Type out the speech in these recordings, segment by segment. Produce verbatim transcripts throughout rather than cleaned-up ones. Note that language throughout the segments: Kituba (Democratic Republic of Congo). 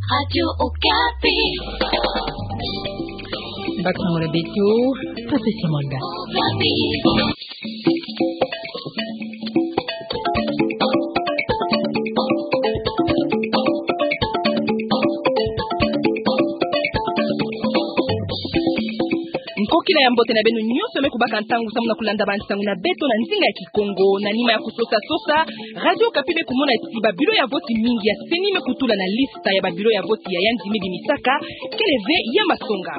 Radio Okapi. Bakangura beto, Patricia Mwanda. Okapi. Nkokila ya mbote na beno nyonso me kubaka ntangu samu na kulanda bansangu na beto na nzinga ya Kikongo. Na nima ya kusosa-sosa, Radio Okapi me kumona ti ba bureau ya vote mingi ya CENI me kutula na liste ya ba bureau ya vote ya yandi me bimisaka kele ve ya masonga.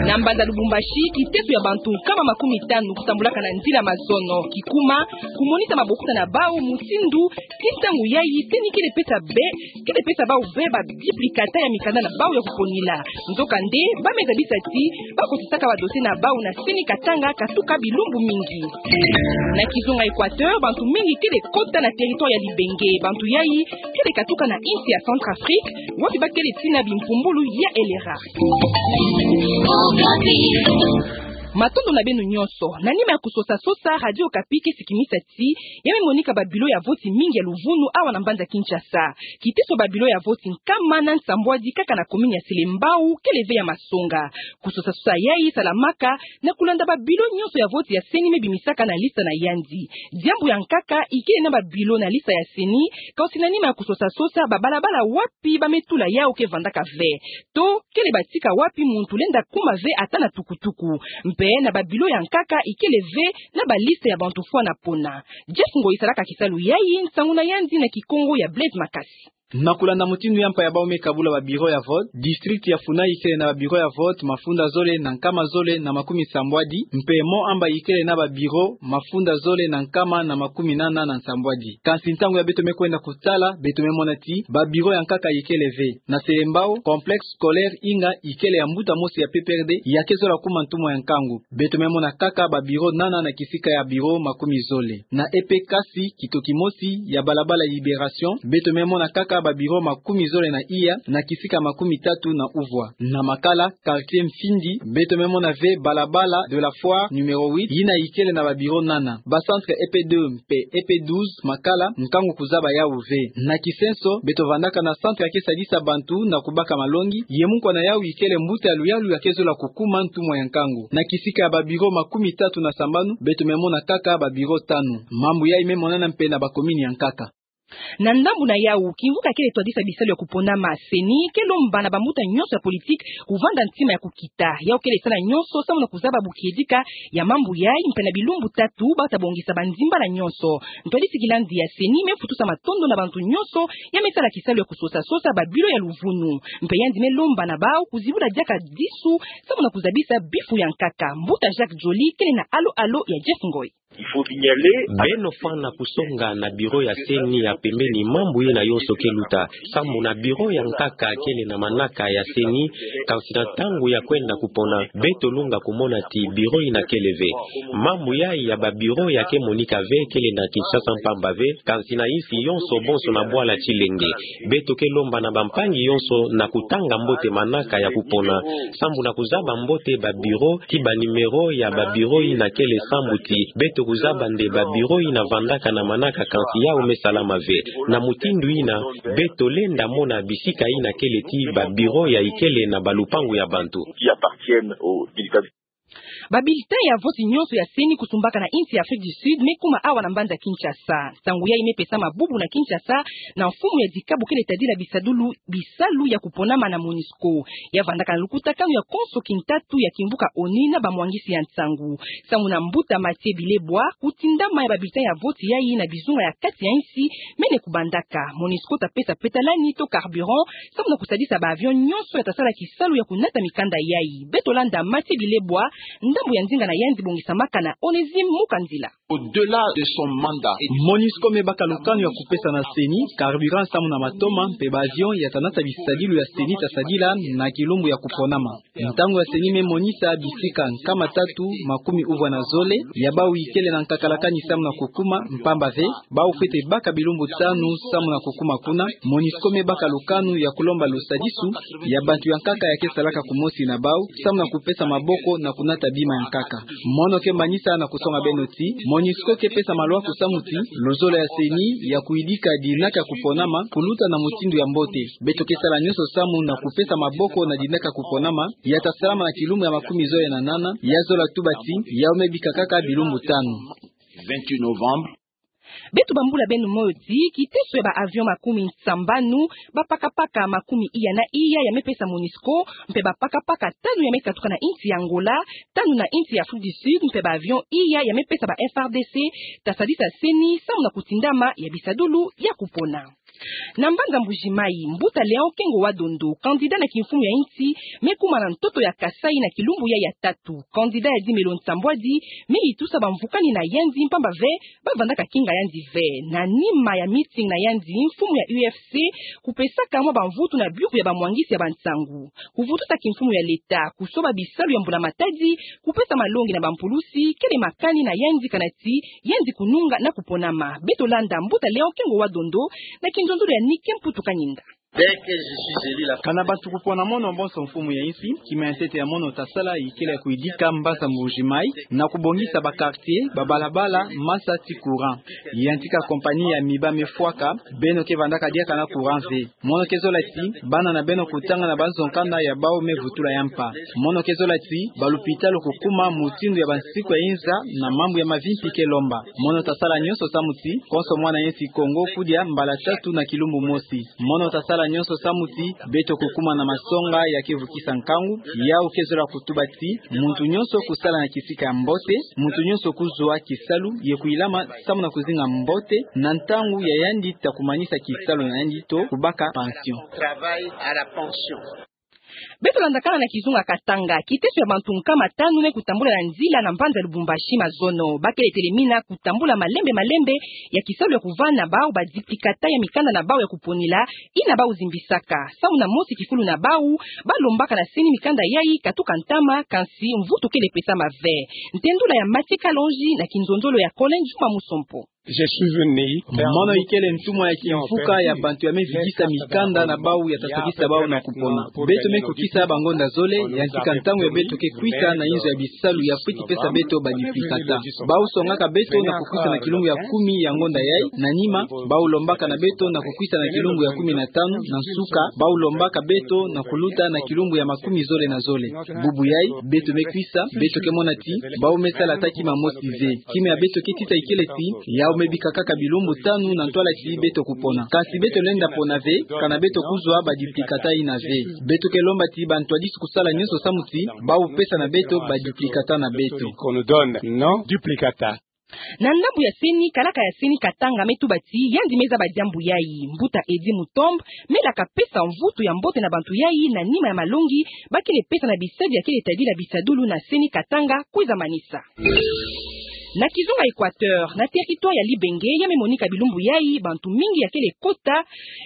Na mbanza Lubumbashi, kiteso ya bantu nkama makumitanu kutambulaka na nzila mazono, kikuma, kumonisa mabokota na bau, mutindu, ti ntangu yayi CENI kele pesa be, kele pesa bau ve ba duplicata ya mikanda na bau ya kuponila. Nzokande, ba me zabisa ti ba kotisaka ba dossier na bau na CENI Katanga katuka bilumbu mingi. Na kizunga Equateur, bantu mingi kele kota na territoire ya Libenge. Bantu yayi kele katuka na insi ya Centrafrique, wapi ba kele tina bimpumbulu ya elera. Matondo na beno nyonso. Na nima ya kusosa-sosa, Radio Okapi ke sikimisa ti ya me monika ba bureau ya vote mingi ya luvunu awa na mbanza Kinshasa. Kiteso ba bureau ya vote nkama na nsambwadi kaka na commune ya Selembao kele ve ya masonga. Kusosa-sosa yayi salamaka na kulanda ba bureau nyonso ya vote ya CENI me bimisaka na liste na yandi. Diambu ya nkaka ikele na ba bureau na liste ya CENI, kasi na nima ya kusosa-sosa, ba balabala wapi ba me tula yau ke vandaka ve, to kele batika wapi muntu lenda kuma ve ata na tukutuku. Mpe na ba bureau ya nkaka ikele ve na ba liste ya bantu fwana pona. Jeff Ngoyi salaka kisalu yayi, nsangu na yandi na Kikongo ya Blaise Makasi. Na kulanda mutindu ya mpa ya bau me kabula ba bureau ya vote, district ya Funai ikele na ba bureau ya vote mafunda zole na nkama zole na makumi sambwadi, mpe Mont Amba ikele na ba bureau mafunda zole na nkama na makumi nana na nsambwadi. Kansi ntangu ya beto me kwenda kutala, beto me mona ti ba bureau ya nkaka ikele ve. Na Selembao, complexe scolaire Inga ikele ya mbuta mosi ya P P R D, ya ke zola kuma ntumwa ya nkangu. Beto me mona kaka ba bureau nana na kisika ya bureau makumi zole. Na E P Kasi, kitoki mosi ya balabala Liberation, beto me mona kaka ba bureau makumi zole na iya na kisika makumi tatu na uvwa. Na Makala, quartier Mfindi, beto me mona ve balabala de la Foire numéro huit, yina ikele na ba bureau nana. Ba centre E P deux mpe E P douze Makala, nkangu kuzaba yau ve. Na kisenso, beto vandaka na centre ya ke sadisa bantu na kubaka malongi, ye munkwa na yau ikele mbuta ya luyalu ya ke zola kukuma ntumwa ya nkangu. Na kisika ya ba bureau makumi tatu na sambanu, beto me mona kaka ba bureau tanu. Mambu yayi me monana mpe na ba commune ya nkaka. Na ndambu na yau, kimvuka kele twadisa bisalu ya kuponama CENI ke lomba na bambuta nyonso ya politique kuvanda ntima ya kukita. Yau kele sa na nyonso samu na kuzaba bukiedika ya mambu yayi, mpe na bilumbu tatu ba ta bongisa banzimbala nyonso. Ntwadisi kilandi ya CENI me futusa matondo na bantu nyonso ya me sala kisalu ya kusosa-sosa ba bureau ya luvunu. Mpe yandi me lomba na bau kuzibula diaka disu samu na kuzabisa bifu ya nkaka. Mbuta Jacques Joly kele na alo-alo ya Jeff Ngoyi. Beno fwana kusonga na bureau ya CENI ya pembeni mambu yina yonso ke luta. Samu na bureau ya nkaka kele na manaka ya CENI, kansi na ntangu ya kwenda kupona, beto lunga kumona ti bureau yina kele ve. Mambu yayi ya ba bureau ya ke monika ve kele na Kinshasa mpamba ve, kansi na insi yonso bonso na bwala Tshilenge. Beto ke lomba na bampangi yonso na kutanga mbote manaka ya kupona, sambu na kuzaba mbote ba bureau, ti ba numéro ya ba bureau yina kele sambu ti beto kuzaba nde ba bureau yina vandaka na manaka kansi yau me salama ve. Na mutindu yina, beto lenda mona bisika yina kele ti ba bureau ya ikele na balupangu ya bantu. Ba bulletin ya vote nyonso ya CENI kusumbaka na insi ya Afrique du Sud me kuma awa na mbanza Kinshasa. Nsangu yayi me pesama bubu na Kinshasa na mfumu ya dikabu kele tadila bisadulu, bisalu ya kuponama na MONUSCO. Ya vandaka na lukutakanu ya konso kintatu ya kimvuka ONU na bamwangisi ya nsangu. Samu na mbuta Mathieu Bilebwa, kutindama ya ba bulletin ya vote yayi na bizunga ya kati ya insi mene kubandaka. MONUSCO ta pesa petalani to carburant, samu na kusadisa ba avion nyonso ya ta sala kisalu ya kunata mikanda yayi. Beto landa Mathieu Bilebwa, ndambu ya nzinga na yandi bongisamaka na Onésime Mukanzila. Au-delà de son mandat. MONUSCO me baka lukanu ya kupesa na CENI carburant samu na matoma mpe ba avion ya ta nata bisadilu ya CENI ta sadila na kilumbu ya kuponama. Ntangu ya CENI me monisa bisika nkama tatu makumi uvwa na zole ya bau ikele na nkakalakani samu na kukuma, mpamba ve, bau fwete baka bilumbu tanu samu na kukuma kuna. MONUSCO me baka lukanu ya kulomba lusadisu ya bantu ya nkaka ya ke salaka kumosi na bau, samu na kupesa maboko na kunata bi Mankaka. Mono ke manisa na kusonga beno ti, MONUSCO ke pesa maluaku samu ti luzolo ya CENI ya kuidika dinaka ya kuponama kuluta na mutindu ya mbote. Beto ke sala nionso samu na kupesa maboko na dinaka ya kuponama, ya tasalama na kilumbu ya makumi zole na nana, ya zola tuba ti, ya ome bikakaka bilumbu tanu. Vingt-huit novembre. Beto bambula beno moyo ti, kiteso ya ba avion makumi nsambanu, bapakapaka makumi iya na iya ya mepesa MONUSCO, mpe bapakapaka tanu ya mekatuka na insi ya Angola, tanu na insi ya Afrique du Sud, mpe ba avion iya ya mepesa ba FARDC, tasadisa CENI, samu na kutindama ya bisadulu ya kupona. Na mbanza Mbuji-Mayi, mbuta Léon Kengo wa Dondo, candidat na kimfumu ya insi, mekuma na ntoto ya Kasaï na kilumbu ya ya tatu. Candidat ya dimelo nsambwadi, meyitusa bamvukani na yandi mpamba ve, bavandaka kinga yandi ve. Na nima ya meeting na yandi, mfumu ya UFC, kupesaka mwa bamvutu na biuku ya bamwangisi ya bansangu. Kuvutusa kimfumu ya leta, kusoba bisalu ya mbula-matadi, kupesa malongi na bampulusi, kele makani na yandi kana ti, yandi kununga na kuponama. Beto landa mbuta Léon Kengo wa Dondo, na kinzonzolo ya Nike Mputu Kanyinda. Kana bantu kupona mono bonso mfumu ya insi, kima ya ntete ya mono tasala ikele ya kuidika mbanza Mbuji-Mayi, na kubongisa ba quartier, babalabala, masa ti courant. Yantika compagnie ya Miba mefwaka, beno ke vandaka diaka na courant ve. Mono ke zola ti, bana na beno kutanga na banzo nkanda ya bau mevutula ya mpa. Mono ke zola ti, balupitalu kukuma mutindu ya bansiku ya inza, na mambu ya mavimpi ke lomba. Mono tasala nionso samu ti, konso mwana insi Kongo kudia mbala tatu na kilumbu mosi. Mono tasala nionso samu ti, beto kukuma na masonga ya kevukisa nkangu, yau ke zola kutuba ti, muntu nionso kusala na kisika ya mbote, muntu nionso kuzwa kisalu, ye kuilama samu na kuzinga mbote, na ntangu ya yandi ta kumanisa kisalu na yandi to kubaka pension. Travail à la pension. Beto landakana na kizunga Katanga, kiteso ya bantu nkama tanu mekutambula na nzila na mbanza Lubumbashi mazono. Bakele telemina kutambula malembe malembe ya kisalu ya kuvana bau ba duplicata ya mikanda na bau ya kuponila, ina bau zimbisaka. Samu na mosi kifulu na bau, balombaka na CENI mikanda yayi katuka ntama, kansi mvutu kele pesama ve. Ntendula ya Mathieu Kalonji na kinzonzolo ya Colin Juma Musompo. Mono ikele ntumwa ya kimfuka ya bantu ya mevidisa mikanda na bau ya tasadisa bau na kupona. Beto mekukisa bangonda zole, yantika ntangu ya beto ke kwisa na inzo ya bisalu ya fwiti pesa beto ba duplicata. Bau songaka beto na kukwisa na kilumbu ya kumi ya ngonda yayi, na nima, bau lombaka na beto na kukwisa na kilumbu ya kumi na tanu, na nsuka, bau lombaka beto na kuluta na kilumbu ya makumi zole na zole. Bubu yayi, beto mekwisa, beto ke mona ti, bau mesala ata kima mosi ve. Kima ya beto ke tita ikele ti, yau mebika kaka bilumbu tanu na ntwala ti beto kupona. Kansi beto lenda pona ve, kana beto kuzwa ba duplicata ina ve. Beto ke lomba ti bantwadisi kusala nionso samu ti, bau pesa na beto ba duplicata na beto. Qu'on nous donne, non, duplicata. Na ndambu ya CENI, kalaka ya CENI Katanga metuba ti, yandi mezaba diambu yayi. Mbuta Eddy Mutombo, melaka pesa mvutu ya mbote na bantu yayi, na nima ya malongi bakele pesa na bisadi ya kele tadila bisadulu na CENI Katanga, kwiza manisa. Na kizunga Equateur, na territoire ya Libenge, ya memonika bilumbu yayi, bantu mingi ya kele kota,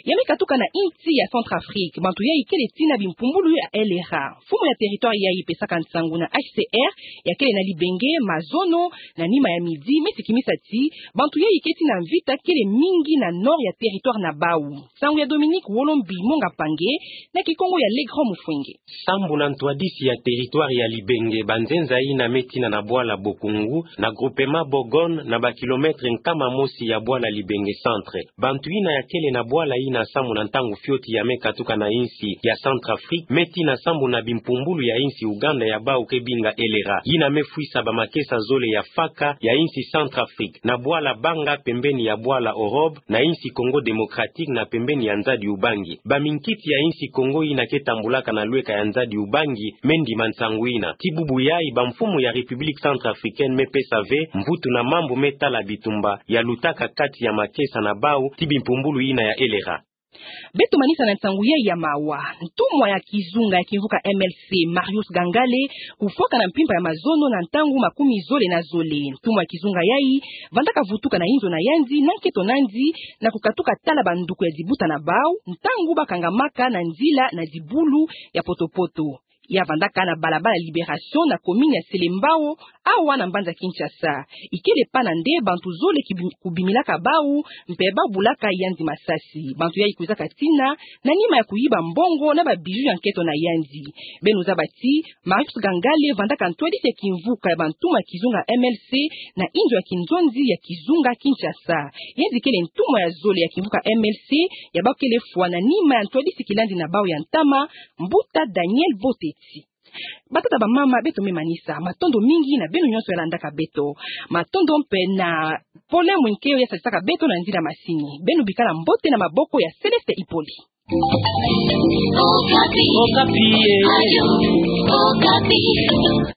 ya mekatuka na insi ya Centrafrique, bantu yayi kele tina bimpumbulu ya LRA. Mfumu ya territoire yayi pesaka nsangu na HCR, ya kele na Libenge, mazono, na nima ya midi, mesikimisa ti, bantu yayi ke tina mvita kele mingi na nord ya territoire na bau. Nsangu ya Dominique Wolombi Monga Pange, na kikongo ya Legrand Mufwenge. Sambu na ntwadisi ya territoire ya Libenge, banzenza ina metina na bwala Bokungu, na groupement Bogone, na ba kilomètre nkama mosi ya bwala Libenge Centre. Bantu ina ya kele na bwala ina samu na ntangu fioti ya mekatuka na insi ya Centrafrique, metina sambu na bimpumbulu ya insi Ouganda ya bau ke binga LRA. Ina mefwisa ba makesa zole ya faka ya insi Centrafrique, na bwala Banga pembeni ya bwala Orob, na insi Congo Démocratique na pembeni ya nzadi Ubangi. Ba minkiti ya insi Congo ina ke tambulaka na lweka ya nzadi Ubangi, mendima nsangu ina. Ti bubu yayi bamfumu ya République Centrafricaine mepesa ve mvutu na mambu metala bitumba ya lutaka kati ya makesa na bau ti bimpumbulu ina ya LRA. Beto manisa na nsangu yayi ya mawa. Ntumwa ya kizunga ya kimvuka MLC, Marius Gangale, kufwaka na mpimpa ya mazono na ntangu makumi zole na zole. Ntumwa ya kizunga yayi vandaka vutuka na inzo na yandi, na nketo nandi, na kukatuka tala banduku ya dibuta na bau, ntangu bakangamaka na nzila na dibulu ya potopoto. Ya vandaka na balabala Libération na commune ya Selembao, awa na mbanza Kinshasa. Ikele pana nde bantu zole ki bi-, kubimilaka bau, mpe bau bulaka yandi masasi. Bantu yayi kwizaka tina, na nima ya kuyiba mbongo na ba bijoux ya nketo na yandi. Beno zaba ti, Marius Gangale vandaka ntwadisi ya kimvuka ya bantuma ya kizunga M L C na inzo ya kinzonzi ya kizunga Kinshasa. Yandi kele ntuma ya zole ya kimvuka M L C, ya bau kele fwa na nima ya ntwadisi kilandi na bau ya ntama, Mbuta Daniel Boteti. Batata, bamama, beto me manisa. Matondo mingi na beno nyonso ya landaka beto. Matondo mpe na Pole Mwinkeyo ya sadisaka beto na nzila masini. Beno bikala mbote na maboko ya Céleste Ipoli. Okapi. Okapi, eh. Radio Okapi.